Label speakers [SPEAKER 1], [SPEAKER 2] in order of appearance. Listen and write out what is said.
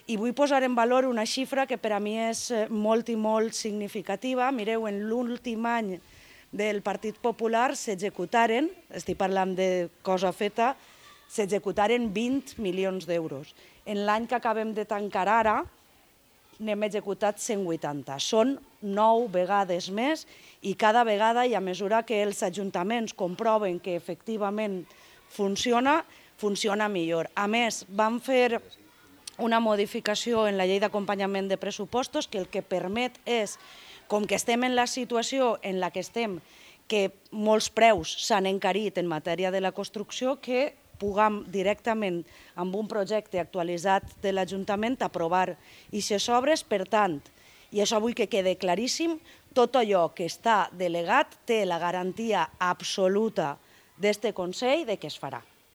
[SPEAKER 1] I vull posar en valor una xifra que per a mi és molt i molt significativa. Mireu, en l'últim any del Partit Popular s'executaren, estic parlant de cosa feta, s'executaren 20 milions d'euros. En l'any que acabem de tancar ara, n'hem executat 180. Són 9 vegades més i cada vegada, i a mesura que els ajuntaments comproven que efectivament funciona millor. A més, vam fer una modificació en la llei d'acompanyament de pressupostos que el que permet és, com que estem en la situació en la que estem, que molts preus s'han encarit en matèria de la construcció, que puguem directament amb un projecte actualitzat de l'Ajuntament aprovar aquestes obres. Per tant, i això vull que quede claríssim, tot allò que està delegat té la garantia absoluta d'este Consell de que es farà.